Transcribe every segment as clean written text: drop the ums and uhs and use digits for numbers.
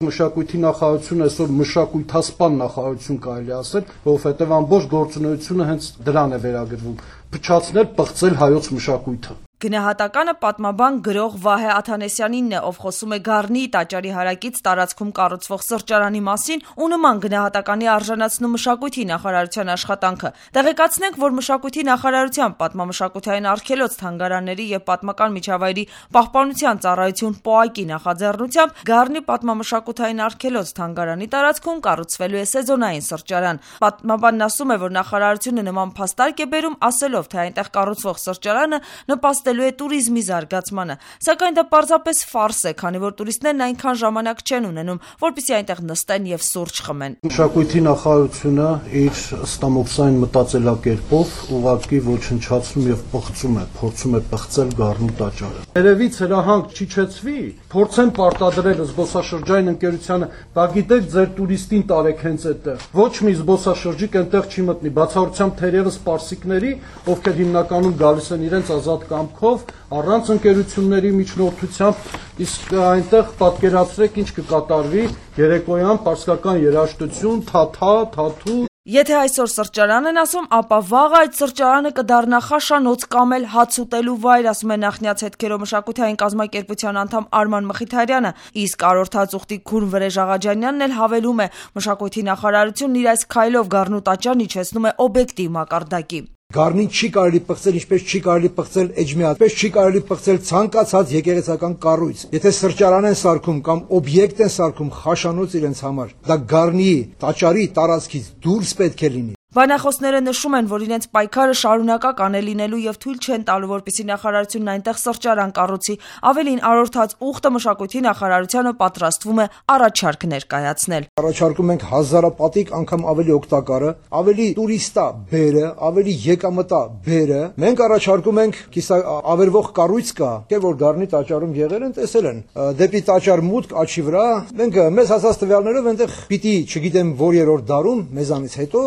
Մշակույթի նախարարությունը այսօր մշակույթասպան նախարարություն կարելի ասել, որովհետև ամբողջ գործունեությունը հենց դրան է վերագրվում՝ փչացնել, պղծել հայոց մշակույթը։ Գնահատականը պատմաբան գրող Վահե Աթանեսյանինն է, ով խոսում է Գառնիի տաճարի հարակից տարածքում կառուցվող սրճարանի մասին ու նման գնահատականի արժանացնում մշակույթի նախարարության աշխատանքը։ Տեղեկացնենք, որ մշակույթի նախարարության պատմամշակութային արգելոց թանգարանների եւ պատմական միջավայրի պահպանության ծառայություն ՊՕԱԿ-ի նախաձեռնությամբ Գառնի պատմամշակութային արգելոց թանգարանի տարածքում կառուցվելու է սեզոնային սրճարան։ Պատմաբանն ասում է, որ նախարարությունը նման փաստարկ է բերում, ասելով, թե այնտեղ կառուցվող սրճարանը նպաստելու է տուրիզմի զարգացմանը, սակայն դա պարզապես ֆարս է, քանի որ տուրիստներն այնքան ժամանակ չեն ունենում, որպեսզի այնտեղ նստեն եւ սուրճ խմեն։ Մշակույթի նախարարությունը իր ստամոքսային մտածելակերպով ուղղակի ոչնչացնում եւ պղծում է, փորձում է պղծել Գառնու տաճարը։ Երևից հրահանգ չիջեցվի, փորձեն պարտադրել զբոսաշրջային ընկերությանը, դա գիտեք, ձեր տուրիստին տարեք հենց այդտեղ։ Ոչ մի զբոսաշրջիկ այնտեղ չի մտնի, բացառությամբ թերևս պարսիկների, ովքեր հիմնականում գալիս են իրենց ազատ կամքով, առանց ընկերությունների միջնորդությամբ, իսկ այնտեղ պատկերացրեք ինչ կկատարվի երեկոյան պարսկական երաժշտություն, թաթու։ Եթե այսօր սրճարան են ասում, ապա վաղը այդ սրճարանը կդառնա խաշանոց կամ էլ հաց ուտելու վայր, ասում է նախնյաց հետքերով մշակութային կազմակերպության անդամ Արման Մխիթարյանը, իսկ Արորթած ուխտի քուրմ Վրեժ Աղաջանյանն էլ հավելում է, մշակույթի նախարարությունն իր այս քայլով Գառնու տաճարն իջեցնում է օբյեկտիվ մակարդակի։ Գառնին չի կարելի պղծել, ինչպես չի կարելի պղծել էջմիածին, ինչպես չի կարելի պղծել ցանկացած եկեղեցական կառույց։ Եթե սրճարան են սարքում կամ օբյեկտ են սարքում խաշանոց իրենց համար, դա Գառնիի տաճարի տարածքից դուրս պետք է լինի։ Բանախոսները նշում են, որ իրենց պայքարը շարունակական է լինելու եւ թույլ չեն տալու, որպեսզի նախարարությունն այնտեղ սրճարան կառուցի։ Ավելին, Արորթած ուխտը մշակույթի նախարարությանը պատրաստվում է առաջարկ ներկայացնել։ Առաջարկում ենք հազարապատիկ անգամ ավելի օգտակարը, ավելի տուրիստա բերը, ավելի եկամտա բերը։ Մենք առաջարկում ենք կիսավերվող կառույց կա, որ Գառնի տաճարում եղել են, տեսել են։ Դեպի տաճար մուտք աչի վրա, մենք մեզ հասած տվյալներով այնտեղ պիտի, չգիտեմ որ երրորդ դարում մեզանից հետո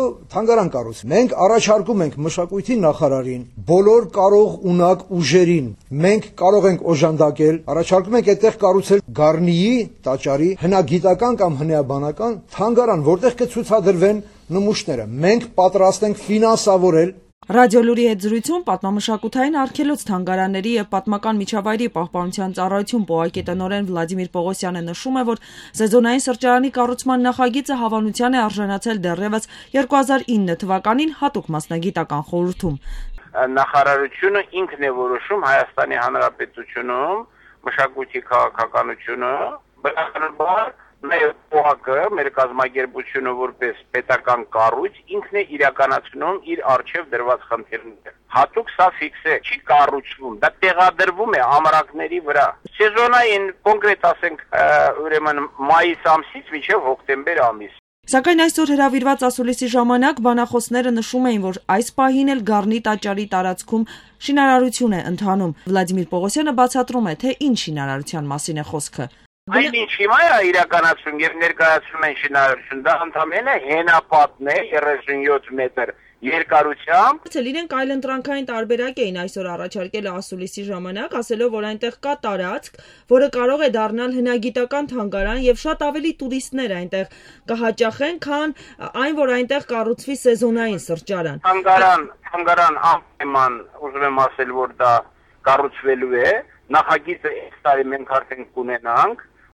Մենք առաջարկում ենք մշակույթի նախարարին, բոլոր կարող ունակ ուժերին, մենք կարող ենք օժանդակել, առաջարկում ենք այդտեղ կառուցել Գառնիի տաճարի հնագիտական կամ հնեաբանական թանգարան, որտեղ կցուցադրվեն նմուշները։ Մենք պատրաստ ենք ֆինանսավորել։ Ռադիոլուրի հետ զրույցում պատմամշակութային արգելոց թանգարանների եւ պատմական միջավայրի պահպանության ծառայություն ՊՕԱԿ-ի տնօրեն Վլադիմիր Պողոսյանը նշում է, որ սեզոնային սրճարանի կառուցման նախագիծը հավանության է արժանացել դեռևս 2009 թվականին հատուկ մասնագիտական խորհրդում։ Նախարարությունը ինքն է որոշում Հայաստանի Հանրապետությունում մշակույթի քաղաքականությունը, բնականաբար մեր ՊՕԱԿ-ը, մեր կազմակերպությունը որպես պետական կառույց ինքն է իրականացնում իր արժեվ դրված խնդիրները։ Հատուկ սա ֆիքս է, չի կառուցվում, դա տեղադրվում է ամրակների վրա։ Սեզոնային կոնկրետ ասենք ուրեմն մայիս ամսից մինչև հոկտեմբեր ամիս։ Սակայն այսօր հրավիրված ասուլիսի ժամանակ բանախոսները նշում էին, որ այս պահին էլ Գառնի տաճարի տարածքում շինարարություն է ընթանում։ Վլադիմիր Պողոսյանը բացատրում է, թե ինչ շինարարության մասին է խոսքը։ Այն ինչ հիմա է իրականացում եւ ներկայացում են շինարարություն, դա ընդհանրապես հենապատն է 37 մետր երկարությամբ։ Իրենք այլընտրանքային տարբերակ էին այսօր առաջարկել ասուլիսի ժամանակ, ասելով, որ այնտեղ կա տարածք, որը կարող է դառնալ հնագիտական թանգարան եւ շատ ավելի տուրիստներ այնտեղ կհաճախեն, քան այն, որ այնտեղ կառուցվի սեզոնային սրճարան։ Թանգարան անպայման ուզում եմ ասել, որ դա կառուցվելու է, նախագիծը այս տարի մենք արդեն կունենանք։